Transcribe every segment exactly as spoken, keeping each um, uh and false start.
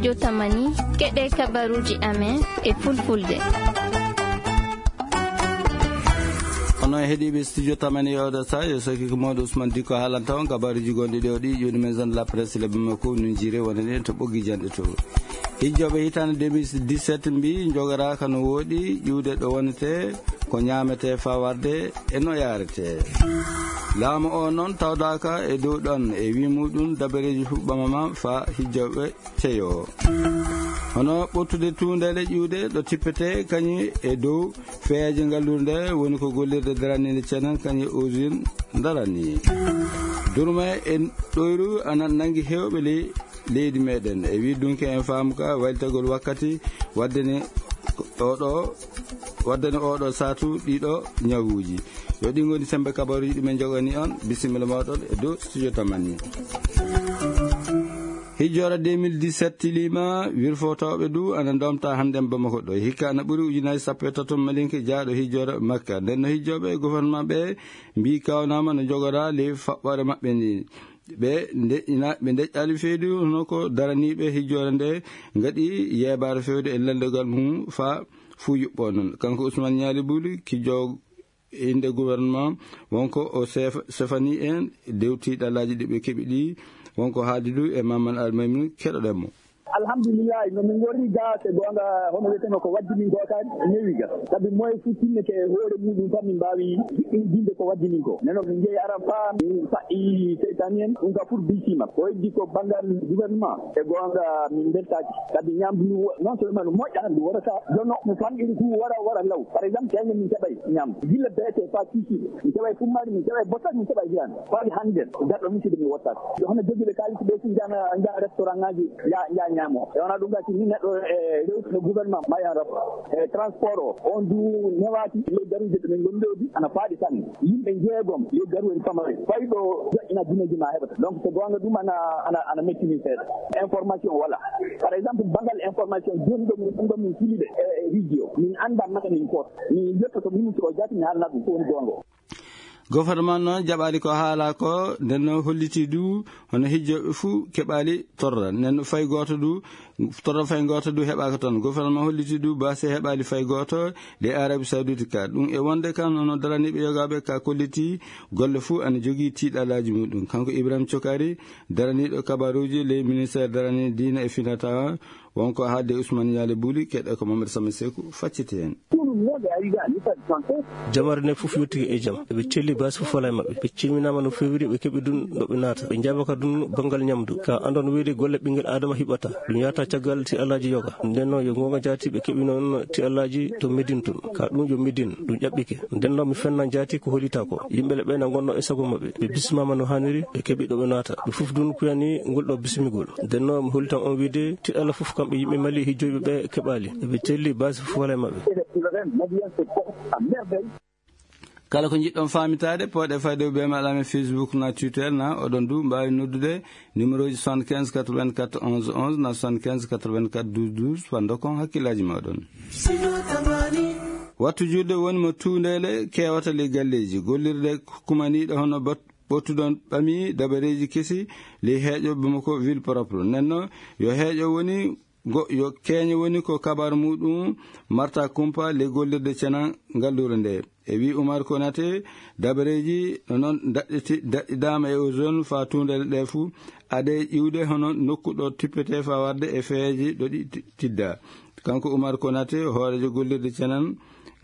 Jotamani, keɗe kabaruuji amen e fulfulde. Onon heɗiiɓe studio Tamani e oɗo saha, yo sokki ko mawɗo Ousmane Dikko haalanta on kabaruuji gonɗi ɗo ɗi, ƴuwdi maison de la presse le Bamako, nun jiire wonani en to ɓoggi janɗe to. Hijjoɓe hitaande deux mille dix-sept mbi jogoraaka no wooɗi ƴuwde ɗo wonete ko ñaamete faa warde e no yaarete. Laamu o noon tawdaaka e dow ɗon e wi muɗum dabareeji fuɓɓamama faa hijjoɓe ceyo. Hono ɓurtude tuundele ƴuwde ɗo tippete kañum e dow feeje ngalluure nde woni ko gollirde daraniinde cenen kañum e usine darani. Durma e ɗoyru ana nanngi heewɓe ley leydi meɗen. E wi dunke en faamu ka waytagol wakkati waddani oɗo, waddani oɗo saatu ɗiɗo ñawuuji. Yo ɗi ngoni sembe kabaruuji ɗi men jogani on. Bisimilla moɗon e dow studio Tamani. Hijjora deux mille dix-sept tilima, wirfotooɓe du ana ndomta hannde Bamako ɗo. Hikka ana ɓuri ujunaaji sappo e tato malinke jaaɗo hijjora Makka. Nden no hijjoɓe e gouvernement ɓe mbi kawnama no jogora ley faɓɓore maɓɓe ndi. Ɓe ndeƴƴina, ɓe ndeƴƴali fewde hono ko daraniiɓe hijjore nde ngaɗi yeebaare fewde e leldogal mum faa fuu yuɓɓo noon. Kanko Ousmane Ñaali Buli, ki joog innde gouvernement, wonko o sef-, sefani en dewti ɗalaaji ɗi ɓe keɓi ɗi, wonko haaldi du e Mamadou Almaymin, keɗoɗen mo. Alhamdulillahi, no min ngorri ga, so goonga, hono wiyeteno ko waddi min ko ka newi ga. Sabi moye fu timmete e hoore muɗum tan min mbaawi jiɗɗinjinde ko waddi min ko. Neno min njehi Arafa, min faɗɗi seytaani en, ɗum ka fur bisima. Ko heddi ko banngal gouvernement, e goonga min mbeltaaki. Sabi ñaamdu ndu wo-, non seulement no moƴƴa, ndu wara ka, jono no famɗi ndu wara, wara law. Par exemple, teŋe min keɓay ñaamdu. Gilla beete faa kiikiiɗe. Min keɓay fummaari, min keɓay bottaari, min keɓay jiraani. Faa hannde, garɗo min sidi mi wottaaka. Yo hono jogiiɓe kaalis ɓe fu njaha, njaha restaurant ŋaaji, njaha, njaha ñaamo. E wona ɗum gasi ni neɗɗo e rewtude gouvernement ma yan rap. E transport o, on du newaaki ley garuuji ɗo min ngoni ɗo di, ana faaɗi sanne. Yimɓe jeegom ley garu en pamare. Fay ɗo joƴƴina dineeji ma heɓata. Donc, so goonga ɗum ana, ana, ana mettini seeɗa. Information wala. Par exemple, bangal information, jooni ɗo min, ɗum ɗo min fili ɓe, e, e radio. Min annda mata min koot. Min yettoto ministre o jaati, mi haalna ɗum ko woni goonga o. Gouvernement noon jaɓaali ko haala ko, nden no holliti du hono hijjoɓe fuu keɓaali torra. Nden no fay gooto du, torra fay gooto du heɓaaka toon. Gouvernement holliti du baasi heɓaali fay gooto de Arabie Saoudite ka. Ɗum e wonde kan hono daraniiɓe yogaaɓe ka kolliti golle fuu ana jogii tiiɗalaaji muɗum. Kanko Ibrahim Cokari, daraniiɗo kabaruuji ley ministère darani diina e finata, wonko haalde Ousmane Ñaali Buli, keɗe ko Mamadou Sama Seku facciti heen. Ɗum wonde ari ga ni fadi santé. Jamare nde fof yottike e jam. Ɓe celli baasi fof wala e maɓɓe. Ɓe celminaama no feewiri, ɓe keɓi ɗum ɗo ɓe naata. Ɓe njaabaka ɗum banngal ñamdu. Ka anndon wiyde golle ɓinngel Aadama hiɓata. Ɗum yahata caggal ti alaaji yoga. Nden noon yo goonga jaati ɓe keɓi noon ti alaaji to Medine tun. Ka ɗum yo Medine, ɗum ƴaɓɓike. Nden noon mi fenna jaati ko holita ko. Yimɓe le ɓe na ngonno e sago maɓɓe. Ɓe bismaama no haaniri, ɓe keɓi ɗo ɓe naata. Ɓe fof ɗum kuyani ngol ɗo bismigol. Nden noon mi hollitan on wiyde ti Allah fof kamɓe yimɓe Mali hijjoyɓe ɓe keɓaali. Ɓe celli baasi fof wala e maɓɓe. Kala ko njiɗɗon faamitaade, pooɗe fayde e email amen Facebook na Twitter na, oɗon du mbaawi noddude numéro ji soixante-quinze quatre-vingt-quatre onze onze na soixante-quinze quatre-vingt-quatre douze douze, fando kon hakkillaaji mooɗon. Wattu juulde woni mo tuundeele keewata ley galleeji, gollirde kumaniiɗo hono bat-, ɓottudon ɓami dabareeji kesi ley heeƴo Bamako ville propre. Nenno yo heeƴo woni Ngo-, yo keeñe woni ko kabaru muɗum marta kumpa ley gollirde cena ngalluure nde. E wi Umar Konate, dabareeji no noon daɗɗiti-, daɗɗidaama e ozone faa tuundere ɗe fuu, ade iwde hono nokku ɗo tippete faa warde e feeji ɗo ɗi ti-, tidda. Kanko Umar Konate, hooreejo gollirde cenen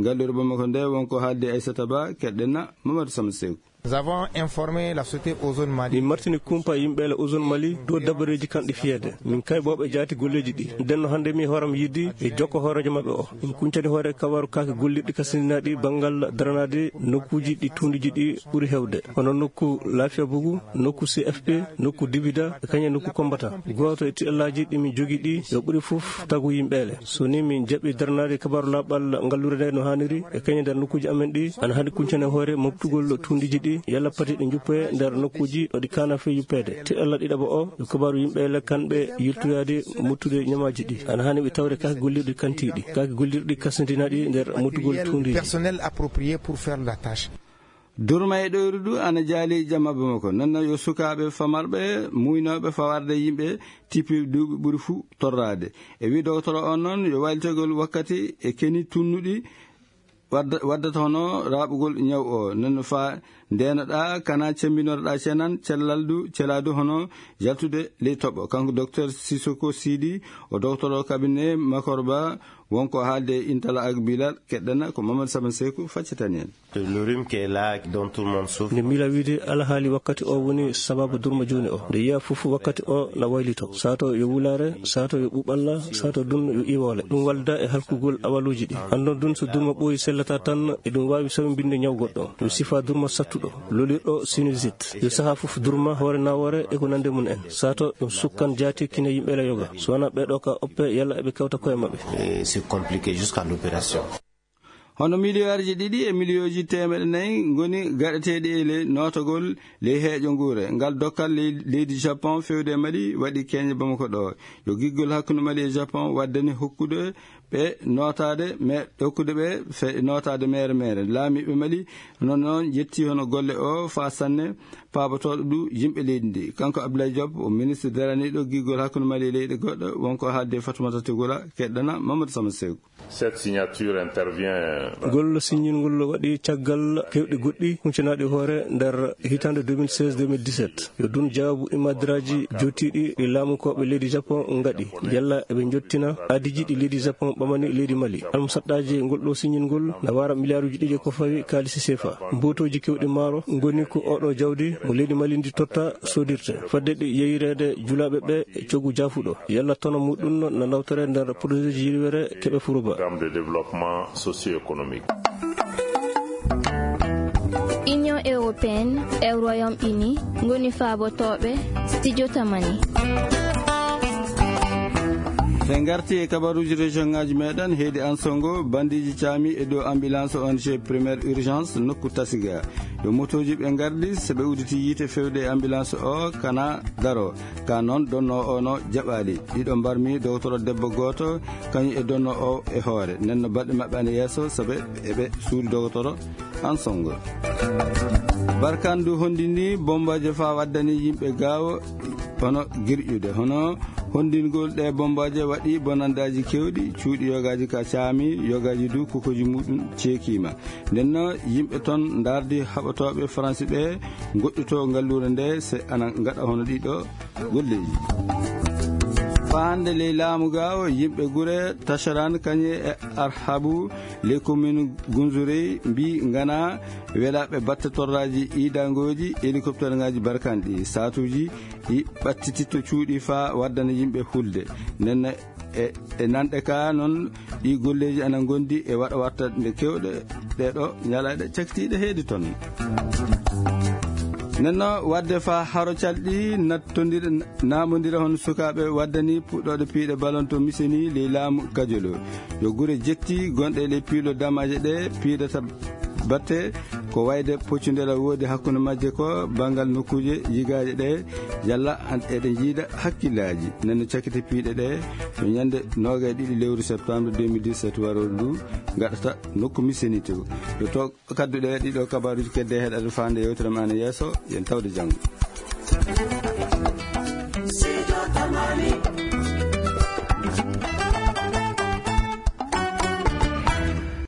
ngalluure Bamako nde, wonko haaldi Aissata Ba, keɗɗen na Mamadou Sama Seku. Nous avons informé la société Ozone Mali. Min martini kumpa yimɓe le Ozone Mali dow dabareeji kanɗi fiyeede. Min kay ɓooɓe jaati golleeji ɗi. Nden no hannde mi hooram yiɗi e jokko hooreejo maɓɓe o. Min kuncani hoore kabaru kaake gollirɗi kasindinaaɗi banngal daranaade nokkuuji ɗi tuundiiji ɗi ɓuri heewde. Hono nokku Laafiya Bugu, nokku C F P, nokku Dibida, e kañum nokku Kombata. Gooto e tiɗallaaji ɗi min jogii ɗi, yo ɓuri fof tagu yimɓe le. So ni min jaɓi daranaade kabaru laaɓal ngalluure nde no haaniri, e kañum nder nokkuuji amen ɗi, ana haani kuncane hoore moftugol tuundiiji ɗi, yalla pati ɗi njuppoye nder nokkuuji ɗo ɗi kaana fee yuppeede. Te Allah ɗiɗaɓo o, yo kabaru yimɓe le kamɓe yiltoyaade moftude ñamaaji ɗi. Ana haani ɓe tawde kaake gollirɗi kantiiɗi, kaake gollirɗi kasindinaaɗi nder moftugol tuundiiji. Personnel approprié pour faire la tâche. Durma e ɗoyru du ana jaali jamma Bamako. Noon yo sukaaɓe famarɓe muynooɓe fawarde yimɓe tippi duuɓi ɓuri fuu torraade. E wii dogotoro on noon yo waylitegol wakkati e keni tunnuɗi wadda-, waddata hono raaɓugol ñaw o. Noon faa ndenoɗaa, kana cemmbinotoɗaa cenan, cellal du, celaa du hono yaltude ley toɓo. Kanko Docteur Sissoko Sidi, o dogotoro cabinet Makorba, wonko haalde e Intala ak Bilal, keɗɗana ko Mamadou Saban Seku faccitani en. Le rhume qui est là, dont tout le monde souffre. Nde miila wiide alhaali wakkati o woni sababu durma jooni o. Nde yiya fof wakkati o na waylito. Sato yo wulaare, sato yo ɓuɓalla, sato dun yo iwoole. Ɗum walda e halkugol awaluuji ɗi. Anndon dun so durma ɓooyi sellata tan, e ɗum waawi sababinde ñaw goɗɗo. Ɗum sifa durma sattuɗo, lolirɗo sinusite. Yo saha fof durma hoore nawoore e ko nande mum en. Sato ɗum sukkan jaati kine yimɓe la yoga. So wana ɓe ɗo ka oppe yalla eɓe kawta koye maɓɓe. Et c'est compliqué jusqu'à l'opération. Hono miliyarji ɗiɗi e miliyooji teemeɗe nayi ngoni gaɗeteeɗi e ley nootagol ley heeƴo nguure. Ngal dokkal ley-, leydi Japon fewde e Mali waɗi keeñe Bamako ɗo. Yo giggol hakkunde Mali e Japon waddani hokkude ɓe nootaade me-, hokkude ɓe fe-, nootaade meere meere. Laamiiɓe Mali noon noon yetti hono golle o faa sanne paabotooɗo ɗu yimɓe leydi ndi. Kanko Abdoulaye Diop, o ministre daraniiɗo giggol hakkunde Mali e leyɗe goɗɗo, wonko haalde Fatoumata Togola, keɗɗana Mamadou Sama Seku. Cette signature intervient. Ngol siññingol waɗi caggal kewɗi goɗɗi huncunaaɗi hoore nder hitaande deux mille seize deux mille dix-sept. Yo ɗum jaabu imadiraaji jootiiɗi ɗi laamukooɓe leydi Japon ngaɗi. Yalla eɓe njottina aadiiji ɗi leydi Japon ɓamani leydi Mali. Almusaɗɗaaji ngol ɗo siññingol na wara miliyaaruuji ɗiɗi ko fawi kaalisi sefa. Mbootooji kewɗi maaro ngoni ko oɗo jawdi mo leydi Mali ndi totta soodirte. Fadde ɗi yeyireede julaaɓe ɓe e coggu jaafuɗo. Yalla tono muɗum na nawtore nder projet ji yirwere keɓe furuba. Programme de développement socio-économique. Union européenne e Royaume-Uni ngoni faabotooɓe studio Tamani. Ɓe ngarti e kabaruuji région ŋaaji meɗen, heedi Ansongo, bandiiji caami e dow ambulance O N G Première Urgence nokku Tasiga. Yo motooji ɓe ngardi, so ɓe udditi yiite fewde e ambulance o, kana daro. Ka noon, donno o no jaɓaali. Ɗiɗo mbarmi dogotoro debbo gooto, kañum e donno o e hoore. Nden no baɗɗe maɓɓe ana yeeso, sabe eɓe suudu dogotoro Ansongo. Barkan du honndini bombaaje faa waddani yimɓe gaawo hono girƴude. Hono honndingol ɗe bombaaje waɗi bonandaaji kewɗi, cuuɗi yogaaji ka caami, yogaaji du kukoji muɗum ceekiima. Nden no yimɓe ton ndardi haɓotooɓe Faransi ɓe ngoɗɗito ngalluure nde se ana ngaɗa hono ɗiɗo golleeji. Faa hannde ley laamu gaawo, yimɓe gure Tacharan kañe e Arhabu, ley commune Gunzurey, mbi ngana welaaɓe batte torraaji iidangooji, hélicoptère ngaaji barkanɗi. Saatuuji ɗi ɓattititto cuuɗi faa waddana yimɓe hulde. Nden e, e nanɗe ka noon, ɗi golleeji ana ngondi e waɗa watta nde kewɗe ɗe ɗo ñalaaɗe cakitiiɗe heedi toon. Nenno waɗde faa haro calɗi nattondira, naamondira hono sukaaɓe waddani puɗɗooɗe piiɗe balon to Miseni ley laamu Kajolo. Yo gure jetti gonɗe ley piilo damaaje ɗe piidata batte ko wayde poccundela woodi hakkunde majje ko banngal nokkuuje yigaaje ɗe yalla an eɗe njiida hakkillaaji. Nenno cakite piiɗe ɗe no ñande noogay ɗiɗi lewru septembre deux mille dix-sept warooru ndu ngaɗata nokku Miseni to. Yo to kadduɗe ɗiɗo kabaruuji kedde heɗade faande yewtere ma ana yeeso, yen tawde janngo.